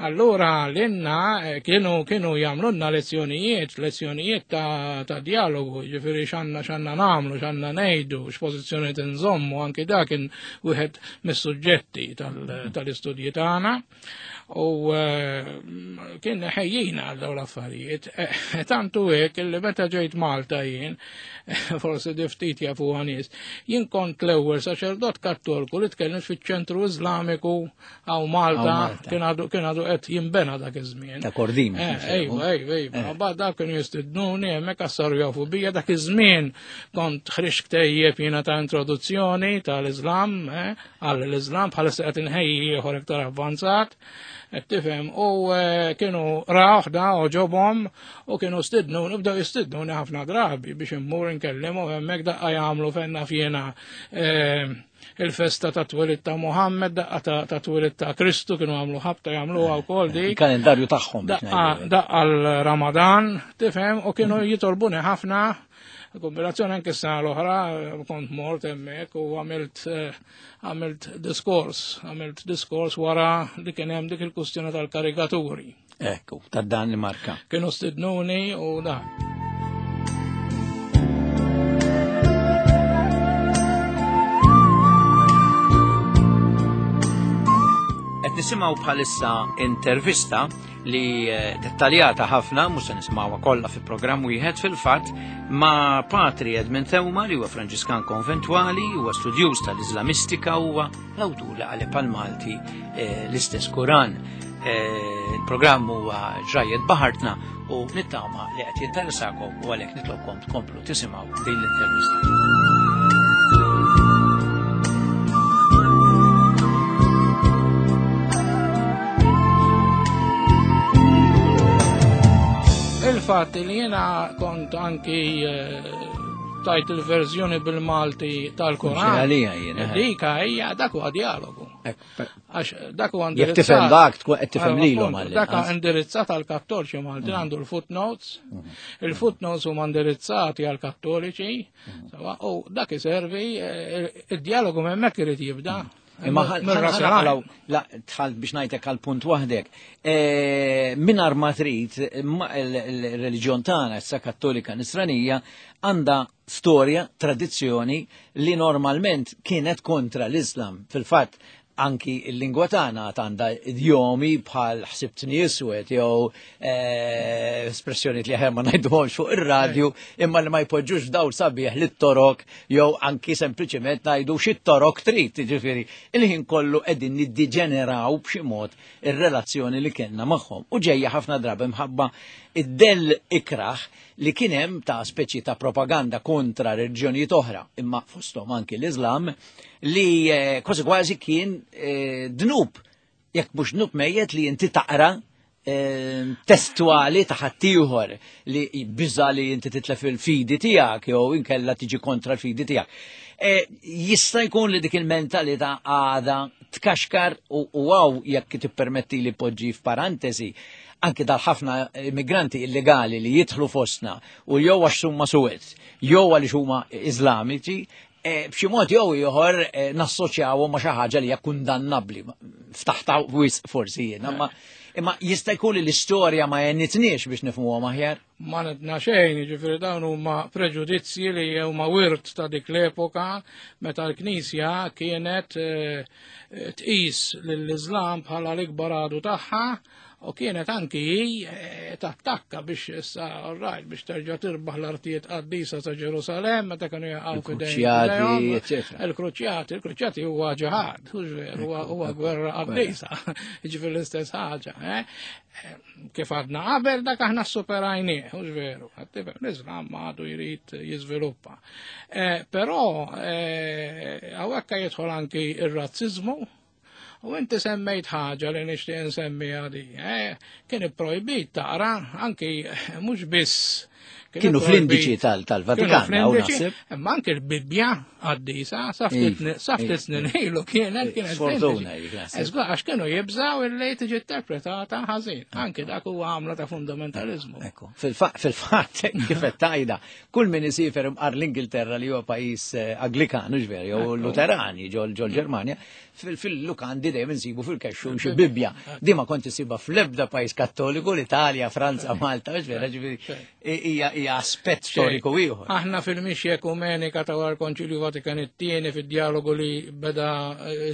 Allora l-inna kienu jagħmlulna lezzjonijiet ta' dialogu, ġifieri x'għandna nagħmlu, x'għandna ngħidu, x'pożizzjoni tinżommu, anki dak kien wieħed mis-suġġetti tal-istudji tagħna. U kien ħejjina għal dawn l-affarijiet. Tantu hekk illi meta ġejt Malta jien, forsi ftit jafuha nies, jien kont l-ewwel saċerdot kattoliku li tkellimt fiċ-ċentru Iżlamiku hawn Malta, Hawn Malta. kien għadu qed jinbena dak iż-żmien. Ta' Kordin, kif jgħidu. Ejwa, ejwa, ejwa. Mbagħad dak kienu jistidnuni hemmhekk għas saru jafu bija dak iż-żmien kont ħriġt ktejjeb jiena ta' introduzzjoni tal-Iżlam, għall-Iżlam bħalissa qed inħejji ieħor iktar avvanzat. Qed tifhem, u kienu rawh da u ġobhom u kienu stidnu, nibdew jistidnuni ħafna drabi biex immur inkellimhom hemmhekk daqqa jagħmlu fenna fjena il-festa ta' twelid ta' Muhammad, daqqa ta' twelid ta' Kristu kienu għamlu ħabta jagħmluha wkoll dik. Il-kalendarju tagħhom biex Daqqa ngħidu hekk. l-Ramadan, tifhem, u kienu jitolbuni ħafna. Kombinazzjoni anke s-sena l-oħra kont mort hemmhekk u għamilt diskors wara li kien hemm dik il-kustjoni tal-karikaturi. Ekku, ta' dan li marka. Kienu stidnuni u dan. Qed nisimgħu bħalissa intervista li dettaljata ħafna, mhux se nisimgħuha kollha fi programm wieħed fil-fatt, ma' Patri Edmund Theuma li huwa Franġiskan konventwali, huwa studjuż tal-Iżlamistika, huwa l-awtur li qaleb għal-Malti l-istess Kuran. Il-programm huwa Ġrajjet Baħartna u nittama li qed jinteressakom u għalhekk nitlobkom tkomplu tisimgħu din l-intervista. Il-fatt li jiena kont anki tajt il-verżjoni bil-Malti tal-Koran. Xi għalija jiena, eh. Dika hija dak huwa dialogu. Għax dak huwa Jekk indirizzat. tifhem dak, tkun qed tifhem Allora, lilhom appunto, għall-inqas. Dak huwa indirizzat għall-Kattoliċi Malti, għandu l-footnotes. Il-footnotes huma indirizzati għall-Kattoliċi, sewa, u dak iservi id-dialogu hemmhekk irid jibda. Imma Mir- mir-razzjonali. ħanaqlaw, la, tħalt biex ngħidlek għal punt waħdek. Mingħajr ma trid, ma il-reliġjon tagħna, issa Kattolika Nisranija, għandha storja, tradizzjoni li normalment kienet kontra l-Islam. Fil-fatt, Anki il-lingwa tagħna għandha idjomi bħal ħsibtni iswed jew eh, espressjonijiet li aħjar ma ngħiduhomx fuq ir-radju imma li ma jpoġġux f'dawl sabiħ lit-torok jew anki sempliċement ngħidu xi torok trid, jiġifieri il-ħin kollu qegħdin niddiġeneraw b'xi mod ir-relazzjoni li kellna magħhom. U ġejja ħafna drabi mħabba id-dell ikrah li kien hemm ta' speċi ta' propaganda kontra reliġjonijiet oħra, imma fosthom anki l-Iżlam, li eh, kważi kważi kien eh, dnub, jekk mhux dnub mejjet li inti taqra eh, testuali ta' ħaddieħor li biża li inti titlef il-fidi tiegħek jew inkella tiġi kontra l-fidi tiegħek. Jista' jkun li dik il-mentalità għada tkaxkar u għaw jekk tippermetti li poġġi f'parantesi anki dal-ħafna immigranti illegali li jidħlu fostna u jew għax huma suwed, jew għaliex huma Iżlamiċi, Eh, b'xi mod jew ieħor eh, nassoċjawhom ma' xi ħaġa li hija kundannabbli. Ftaħta wisq forsi jien, imma imma jista' jkun li l-istorja ma jennitniex biex nifhmuhom aħjar. Ma nitna xejn, jiġifieri dawn huma preġudizzji li huma wirt ta' dik l-epoka meta l-Knisja kienet eh, tqis lill-Iżlam bħala l-ikbar għadu tagħha U kienet anki hi eh, tattakka biex issa rajt biex terġa' tirbaħ l-artijiet qaddisa ta' Ġerusalemm meta kienu jaqgħu fidejn. Il-kruċjati, il-kruċjati huwa ġihad, huwa gwerra qaddisa, jiġifieri l-istess ħaġa. Eh? Eh, kif għadna qabel dak aħna superajnieh, hux veru, l-Iżlam għadu jrid jiżviluppa. Però hawnhekk jidħol anki ir-razziżmu, U inti semmejt ħaġa li nixtieq insemmi għadi. Eh? Kien ipprojbit taqra anki mhux biss Kienu fl-indiċi tal-Vatikan. Imma anki l-Bibbja għaddisa, sa ftit snin ilu kienet kienet. Sfortuna, Eżgur, għax kienu jibżaw illi tiġi interpretata ħażin. Anki dak huwa għamla ta' fundamentalizmu. Ekku, fil-fatt, kif qed tgħidha, kull min isifer imqar l-Ingilterra li huwa pajjiż eh, Anglikan, ġveri, jew Luterani ġol Ġermanja, fil-lukandi dejjem insibu fil-kexxun xi Bibbja. Di ma kont isibha fl-ebda pajjiż Kattoliku, l-Italja, Franza, Malta, mhux vera, ġifieri hija aspett storiku ieħor. Aħna fil-mixja ekumenika ta' wara l-Konċilju Vatikan it-tieni fid-dialogu li beda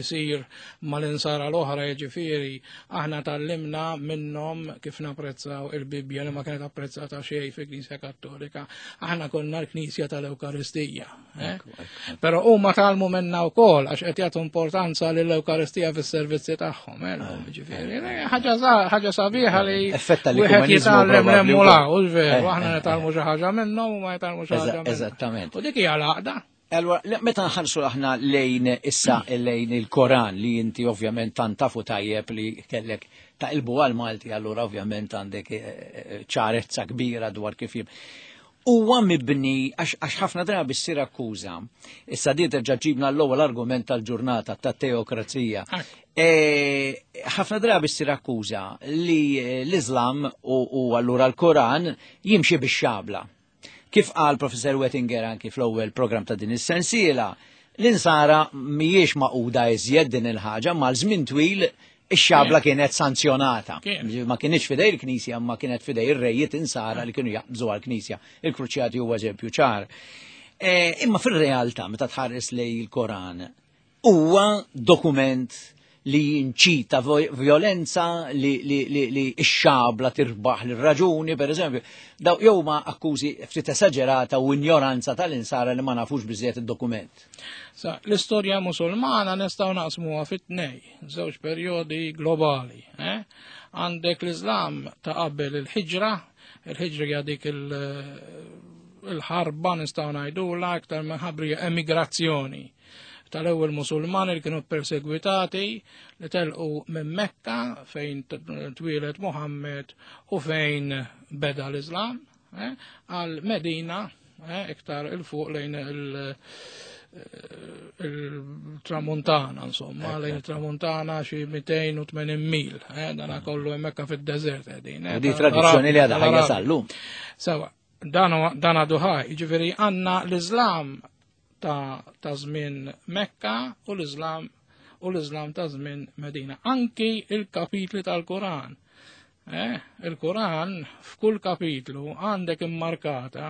jsir mal-insara l-oħra jiġifieri, aħna tgħallimna minnhom kif napprezzaw il-Bibbja li ma kienet apprezzata xejn fil-Knisja Kattolika. Aħna konna l-Knisja tal-Ewkaristija. Eh? Però huma talmu minna wkoll għax qed jagħtu importanza lill-Ewkaristija fis-servizzi tagħhom, eh, ah, ġifieri. Eh, ħaġa sabiħa li wieħed jitgħallem l-emmula, u veru, aħna nitgħallmu xi ħaġa minnhom u ma jitgħallmu xi ħaġa. Eżattament. U dik hija l-għaqda. Allora, meta nħarsu aħna lejn issa lejn il-Koran li inti ovvjament tant tafu tajjeb li kellek taqilbu għal Malti, allura ovvjament għandek ċarezza kbira dwar kif jim. Huwa mibni għax ħafna drabi ssir akkuża. Issa di terġa' ġibna l-ewwel argument tal-ġurnata tat-teokrazija. E, ħafna drabi ssir akkuża li l-Iżlam u allura l-Koran jimxi bix-xabla. Kif qal Professor Wettinger anki fl-ewwel programm ta' din is-sensiela, l-insara mhijiex maquda iżjed din il-ħaġa mal-żmien twil Ix-xabla kienet sanzjonata. Ma kienx fidej il-Knisja, ma kienet fidej ir-rejiet insara li kienu jaqbżu għall-Knisja. Il-Kruċjati huwa eżempju ċar. E, imma fir-realtà, meta tħares lej il-Koran, huwa dokument li jinċita violenza li, li, li, li x-xabla tirbaħ l-raġuni, per eżempju, daw jew ma akkużi ftit esaġerata u ignoranza tal-insara li ma nafux biżjed id-dokument. Sa, l-istorja musulmana nistgħu naqsmuha fit-tnej. żewġ perjodi globali. Eh? Għandek l-Islam ta' qabel il-ħiġra, il-ħiġra hija dik il-ħarba nistgħu ngħidula aktar minn ħabri emigrazzjoni tal-ewwel Musulmani li kienu persegwitati li telqu minn Mekka fejn twieled Muhammad u fejn beda l-Islam eh, għal Medina eh, iktar il-fuq lejn eh, il-tramuntana, insomma, lejn il-tramuntana xi 280 mil, eh, dana mm. kollu hemmhekk fid-deżert qegħdin. Di tradizzjoni li għadha ħajja sallum. Sewa, dan għadu ħaj, jiġifieri għandna l-Iżlam ta' żmien Mekka u l-Iżlam u l-Iżlam ta' żmien Medina. Anki il-kapitli tal-Koran. Eh, il-Kuran f'kull kapitlu għandek immarkata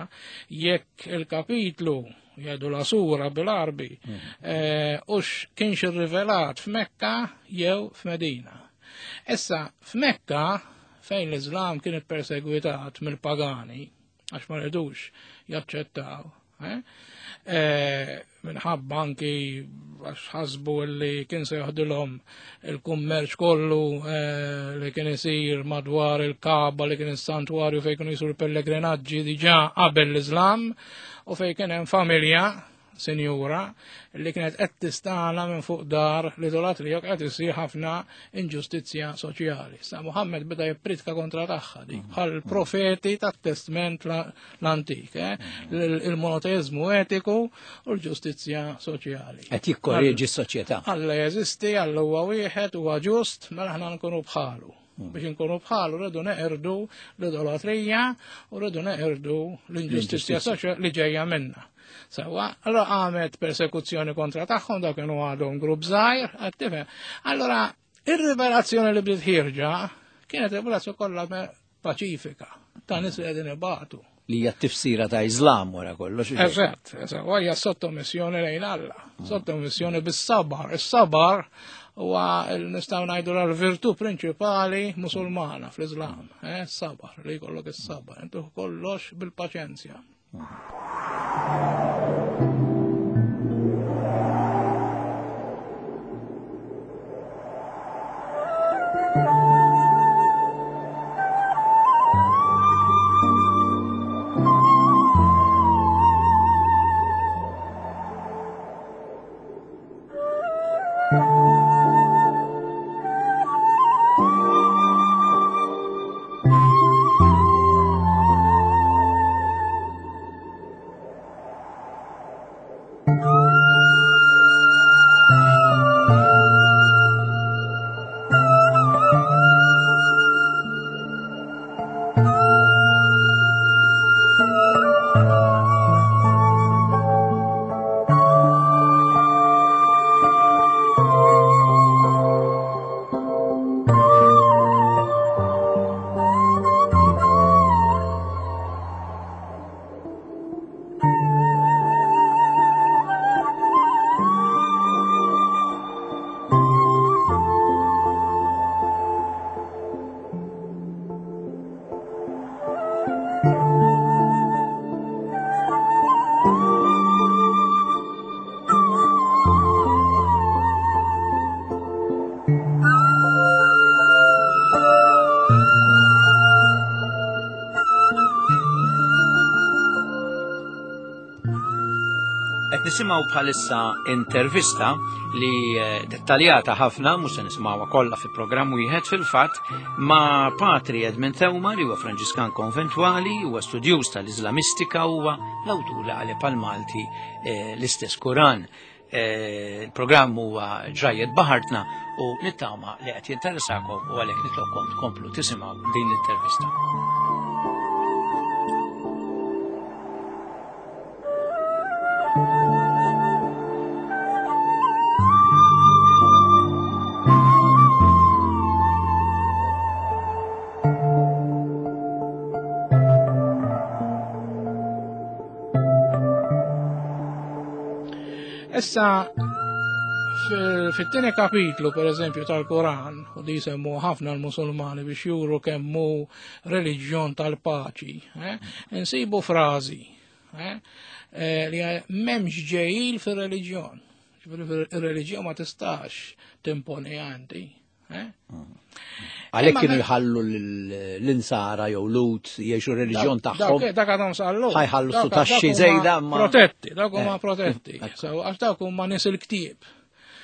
jekk il-kapitlu jgħidu la sura bil-Arbi mm. eh, ux kienx irrivelat f'Mekka jew f'Medina. Issa f'Mekka fejn l-Iżlam kien ippersegwitat mill-pagani għax ma rridux jaċċettaw Eh? Eh, minħabba anki għax ħasbu li kien se joħdilhom il-kummerċ kollu eh, li kien isir madwar il-Kaba li kien is-santwarju fejn kienu jisur pellegrinaġġi diġà qabel l-Iżlam u fejn kien hemm familja sinjura li kienet qed tistana minn fuq dar l-idolatrija qed isir ħafna inġustizzja soċjali. Sa Muhammad beda jippritka kontra tagħha dik mm. bħal profeti tat-testment l-antik, eh? mm. il-monoteizmu etiku u l-ġustizzja soċjali. Qed jikkorreġi s-soċjetà. Alla jeżisti, Alla huwa wieħed, huwa ġust, mela aħna nkunu bħalu. Mm. Biex inkunu bħalu rridu neqirdu l-idolatrija u rridu neqirdu l-inġustizzja soċjali li ġejja minna. Sewa, allora għamet persekuzzjoni kontra tagħhom dak kienu għadhom grupp żgħir, qed tifhem. Allora, ir-rivelazzjoni li bdiet ħierġa kienet rivelazzjoni kollha paċifika ta' nies li qegħdin ibatu. Li hija t-tifsira ta' Iżlam wara kollox. Eżatt, eżatt, u hija sottomissjoni lejn Alla, mm. sottomissjoni bis-sabar. Is-sabar huwa nistgħu ngħidu l-virtù prinċipali musulmana fl-Iżlam, eh, sabar, li jkollok is-sabar, intu kollox bil-paċenzja. Qed nisimgħu bħalissa intervista li eh, dettaljata ħafna, mhux se nisimgħuha kollha fi programm wieħed fil-fatt, ma' Patri Edmund Theuma li huwa Franġiskan konventwali, huwa studjuż tal-Iżlamistika huwa l-awtur li qaleb għal Malti eh, l-istess Kuran. Eh, il-programm huwa ġrajjet baħartna u nittama li qed jinteressakom u għalhekk nitlobkom tkomplu tisimgħu din l-intervista. Issa, fit-tieni kapitlu, per eżempju, tal-Koran, u di semmu ħafna l-Musulmani biex juru kemmu reliġjon tal-paċi, eh, insibu frażi eh, eh, li m'hemmx ġejjil fir-reliġjon. Ir-reliġjon ma tistax timponi għandi. Eh? Għalhekk kienu jħallu l-insara jew lut jgħixu reliġjon tagħhom. Dak għadhom sallu. Ħajħallu su taxxi żejda ma. Protetti, dak huma eh. protetti. Għax dak huma nies il-ktieb.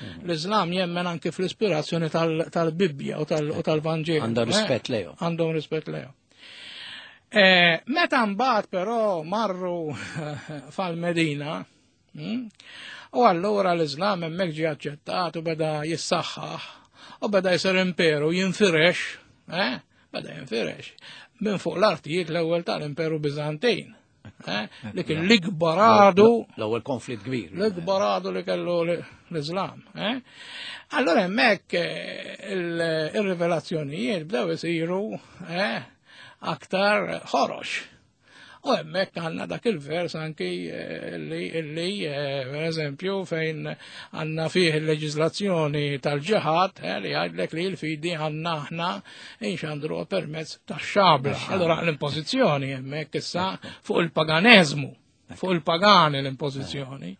Mm. L-Islam jemmen anke fl-ispirazzjoni tal-Bibbja u tal-Vanġelu. Għandhom eh? rispett lejhom. Għandhom rispett lejhom. Meta mbagħad però marru fal-Medina, Hmm? U allura l-Islam hemmhekk ġie aċċettat u beda jissaħħaħ u beda jsir imperu jinfirex, eh? Beda jinfirex minn fuq l-artijiet l-ewwel tal-Imperu Biżantin. Eh, li kien l-ikbar għadu. L-ewwel konflitt kbir. L-ikbar għadu li kellu l-Islam. Eh? Allora hemmhekk eh, il-rivelazzjonijiet bdew isiru aktar ħorox. U hemmhekk għandna dak il-vers anki eh, li, li eh, per eżempju, fejn għandna fih il-leġiżlazzjoni tal-ġihad eh, li għajdlek li l-fidi għandna aħna inxandru permezz tax-xabla. Allora l-impożizzjoni hemmhekk issa fuq il-paganeżmu fuq il-pagani l-impożizzjoni,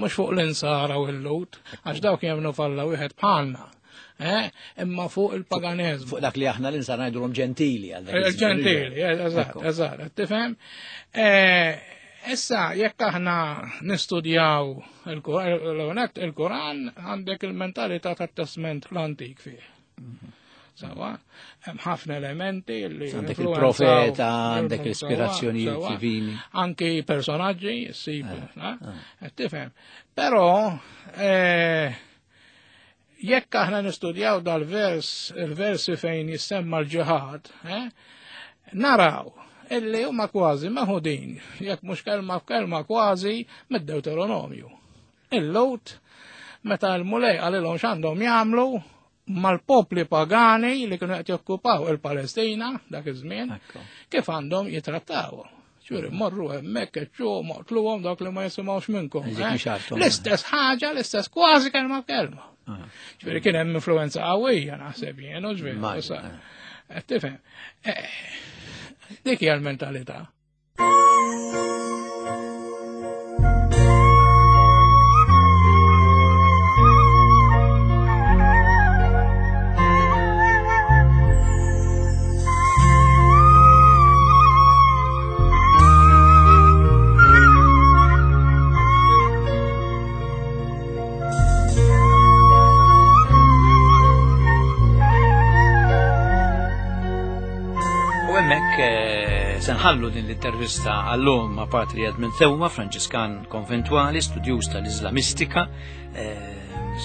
mhux fuq l-insara u l-lut, għax dawk jemnu falla wieħed bħalna. Eh, imma fuq il-paganezmu. Fuq dak li aħna l-insan ngħidulhom ġentili għal dak. Eh, ġentili, eh, eżatt, eżatt, tifhem? Issa, jekk aħna nistudjaw il-Koran, għandek il-mentalità tat-testament l-antik fih. Mhm. Sawa, hemm ħafna elementi li. Għandek il-profeta, għandek l-ispirazzjoni divini. Anki personaġġi, ssib, tifhem. Però, Jekk aħna nistudjaw dal-vers, il-versi fejn jissemma l-ġihad, eh, naraw illi huma kważi meħudin, jekk mhux kelma f'kelma kważi mid-Deuteronomju. Il-Lut, meta l-Mulej qalilhom x'għandhom jagħmlu mal-popli pagani li kienu qed jokkupaw il-Palestina dak iż-żmien, kif għandhom jitrattawhom. Ġifieri morru hemmhekk eċċuhom oqtluhom dawk li ma jisimgħux minnkom. Eh? L-istess ħaġa, l-istess kważi kelma b'kelma. Ah. Ġifieri kien hemm influenza qawwija naħseb jien, u ġifieri. Eh, tifhem. Eh, dik hija l-mentalità. U hemmhekk eh, se nħallu din l-intervista għallum ma' Patri Edmund Thewma, Franġiskan konventwali, studjuż tal-Iżlamistika, eh,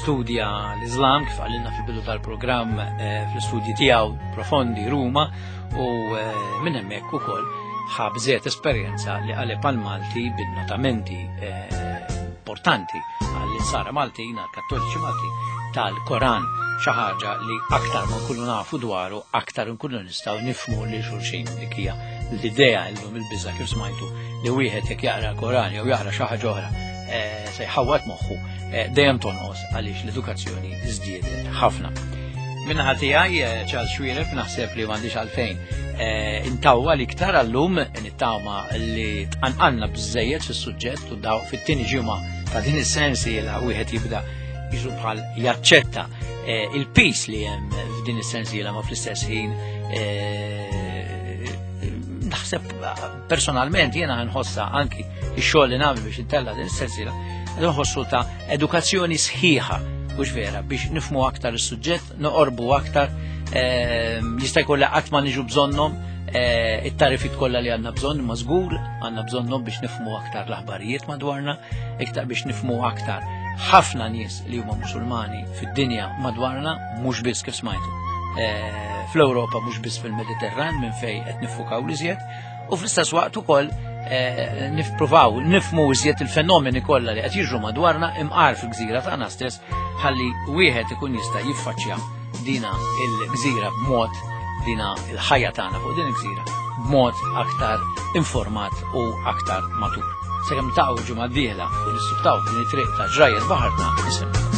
studja l-Islam kif għallinna fil-bidu tal-programm eh, fl-istudji tiegħu profondi Ruma u eh, minn hemmhekk ukoll ħa esperjenza li qaleb għal Malti bin-notamenti eh, importanti għall-insara Maltin, għall-Kattoliċi Maltin tal-Koran xi ħaġa li aktar ma nkunu nafu dwaru, aktar nkunu nistgħu nifmu li xulxin dik hija l-idea illum il-biża kif smajtu li wieħed jekk jaqra l-Koran jew jaqra xi ħaġa oħra eh, se jħawwad moħħu eh, dejjem tonqos għaliex l-edukazzjoni żdiedet ħafna. Minnaħa tiegħi eh, Charles Xwiref naħseb li m'għandix għalfejn intawwa l-iktar għallum nittama li tqanqalna biżejjed fis-suġġett u daw fit-tieni ġimgħa ta' din is-sensi la wieħed jibda jiġu bħal jaċċetta il-pis li hemm f'din is-sensiela ma fl-istess ħin naħseb personalment jiena nħossa anki ix-xogħol li nagħmel biex intella din is-sensiela nħossu ta' edukazzjoni sħiħa mhux vera biex nifmu aktar is-suġġett, noqorbu aktar, ehm, jista' jkun li qatt ma niġu bżonnhom eh, it-tarifit kollha li għandna bżonn ma żgur għandna bżonnhom biex nifmu aktar l-aħbarijiet madwarna, iktar biex nifmu aktar ħafna nies li huma Musulmani fid-dinja madwarna mhux biss kif smajtu. Eh, fl-Ewropa mhux biss fil-Mediterran minn fejn qed nifukaw l-iżjed u fl-istess waqt ukoll eh, nippruvaw nifmu iżjed il-fenomeni kollha li qed jiġru madwarna imqar fil-gżira tagħna stess ħalli wieħed ikun jista' jiffaċċja dina il-gżira b'mod dina il-ħajja tagħna fuq din il-gżira b'mod aktar informat u aktar matur. Sakemm taqgħu ġimgħa d-dieħla u nissuktaw din it-triq ta' ġrajjet baħarna nisimgħu.